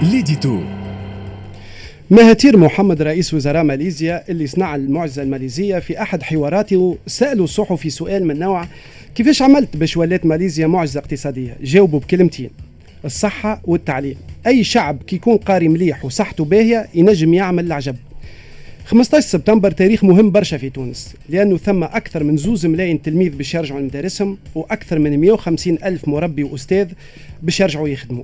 L'édito. مهاتير محمد رئيس وزراء ماليزيا اللي صنع المعجزة الماليزية، في أحد حواراته سألوا الصحفي سؤال من نوع: كيفاش عملت باش ولات ماليزيا معجزة اقتصادية؟ جاوبوا بكلمتين: الصحة والتعليم. أي شعب كي يكون قاري مليح وصحته باهية ينجم يعمل العجب. 15 سبتمبر تاريخ مهم برشا في تونس، لأنه ثم أكثر من 2 ملايين تلميذ باش يرجعوا لمدارسهم، وأكثر من 150 ألف مربي وأستاذ باش يرجعوا يخدموا.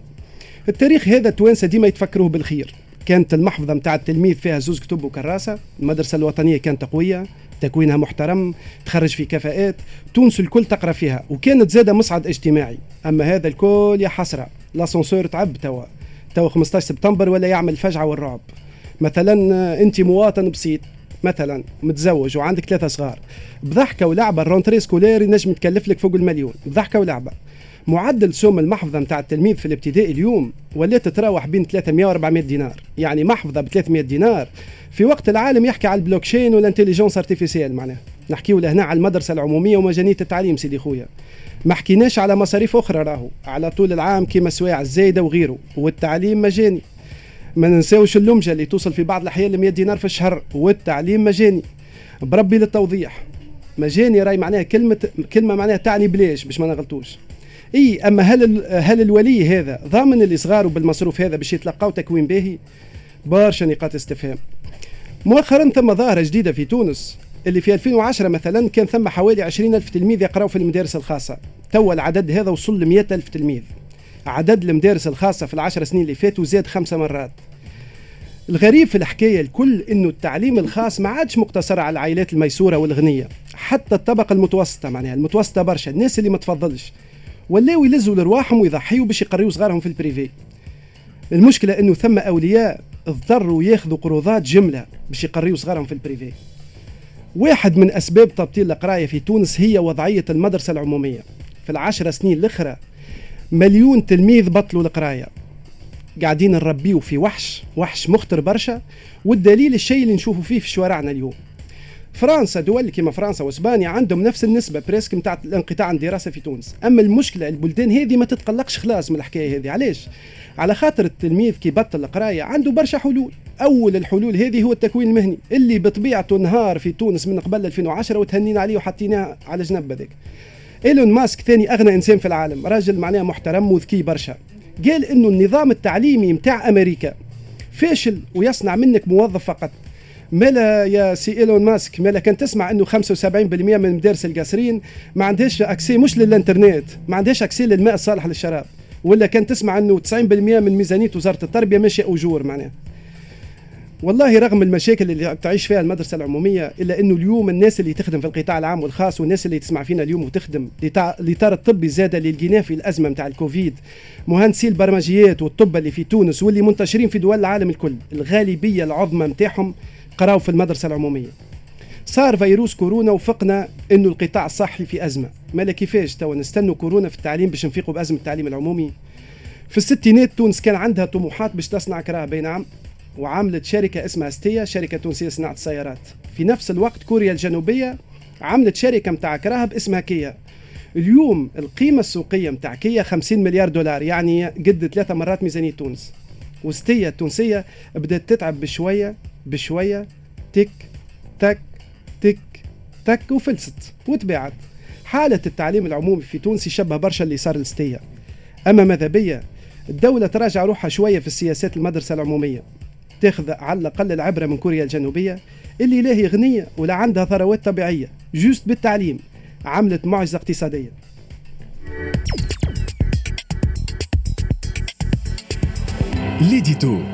التاريخ هذا التوانسة ديما يتفكروه بالخير. كانت المحفظة متاع التلميذ فيها 2 كتب وكراسة، المدرسة الوطنية كانت قوية، تكوينها محترم، تخرج في كفاءات، تونس الكل تقرأ فيها، وكانت زادة مصعد اجتماعي. أما هذا الكل يا حسرة، l'ascenseur تعب توا 15 سبتمبر ولا يعمل الفجعة والرعب. مثلا أنت مواطن بسيط، مثلا متزوج وعندك 3 صغار، بضحكة ولعبة ال rentrée scolaire ينجم تكلف لك فوق المليون، بضحكة ولعبة. معدل سوم المحفظة متاع التلميذ في الابتدائي اليوم ولات تتراوح بين 300 و 400 دينار، يعني محفظة ب 300 دينار في وقت العالم يحكي على ال blockchain وال intelligence artificielle. معناها نحكيو لهنا على المدرسة العمومية ومجانية التعليم سيدي خويا، ما حكيناش على مصاريف أخرى راهو على طول العام كيما السوايع الزايدة وغيره، والتعليم مجاني. ما ننساوش اللمجة اللي توصل في بعض الأحيان ل 100 دينار في الشهر، والتعليم مجاني. بربي للتوضيح، مجاني راي معناها كلمة معناها تعني بلاش باش ما نغلطوش. اي اما هل الولي هذا ضامن اللي صغاروا بالمصروف هذا باش يتلقاو تكوين باهي؟ برشا نقاط استفهام. مؤخرا ثم ظاهرة جديدة في تونس، اللي في 2010 مثلا كان ثم حوالي 20,000 تلميذ يقراوا في المدارس الخاصة، توا العدد هذا وصل ل 100,000 تلميذ. عدد المدارس الخاصة في ال10 سنين اللي فاتوا زاد 5 مرات. الغريب في الحكاية الكل انه التعليم الخاص ما عادش مقتصر على العائلات الميسورة والغنية، حتى الطبقة المتوسطة، معناها المتوسطة برشا، الناس اللي ما تفضلش ولاو يلزوا لرواحهم ويضحيوا باش يقريوا صغارهم في ال privé. المشكلة انه ثم اولياء اضطروا ياخذوا قروضات جملة باش يقريوا صغارهم في ال privé. واحد من اسباب تبطيل القراية في تونس هي وضعية المدرسة العمومية. في ال10 سنين الاخرى 1,000,000 تلميذ بطلوا القراية. قاعدين نربيو في وحش مخطر برشا، والدليل الشيء اللي نشوفه فيه في شوارعنا اليوم. فرنسا، دول كما فرنسا واسبانيا عندهم نفس النسبة presque نتاع الانقطاع عن الدراسة في تونس. اما المشكلة البلدان هذه ما تتقلقش خلاص من الحكاية هذه. علاش؟ على خاطر التلميذ كي بطل القراية عنده برشا حلول. اول الحلول هذه هو التكوين المهني اللي بطبيعته نهار في تونس من قبل 2010 وتهنينا عليه وحطيناه على جنب هذاك. ايلون ماسك ثاني اغنى انسان في العالم، راجل معناه محترم وذكي برشا، قال انه النظام التعليمي نتاع امريكا فاشل ويصنع منك موظف فقط. مالا يا سي ايلون ماسك، مالا كان تسمع انه 75% من مدارس القصرين ما عندهاش accès مش للانترنت، ما عندهاش accès للماء الصالح للشراب، ولا كان تسمع انه 90% من ميزانية وزارة التربية ماشية اجور. معناها والله رغم المشاكل اللي تعيش فيها المدرسة العمومية، الا انه اليوم الناس اللي تخدم في القطاع العام والخاص والناس اللي تسمع فينا اليوم وتخدم الاطار الطبي زاد اللي لقيناه في الازمة نتاع الكوفيد، مهندسي البرمجيات والطب اللي في تونس واللي منتشرين في دول العالم الكل، الغالبية العظمى نتاعهم قراوا في المدرسة العمومية. صار فيروس كورونا وفقنا انه القطاع الصحي في ازمة، مالا كيفاش توا نستنوا كورونا في التعليم باش نفيقوا بازمه التعليم العمومي؟ في الستينات تونس كان عندها طموحات باش تصنع كراهب نعم، وعملت شركة اسمها ستيا، شركة تونسية صناعة السيارات. في نفس الوقت كوريا الجنوبية عملت شركة متاع كراهب اسمها كيا. اليوم القيمة السوقية متاع كيا 50 مليار دولار، يعني قد 3 مرات ميزانية تونس. وستيا التونسية بدأت تتعب بشوية بشوية، تك تك تك تك، وفلست وتباعت. حالة التعليم العمومي في تونس يشبه برشا اللي صار لستيا. أما ماذا بيا الدولة تراجع روحها شوية في السياسات المدرسة العمومية، تاخذ على الأقل العبرة من كوريا الجنوبية اللي لا هي غنية ولا عندها ثروات طبيعية، juste بالتعليم عملت معجزة اقتصادية. L'édito.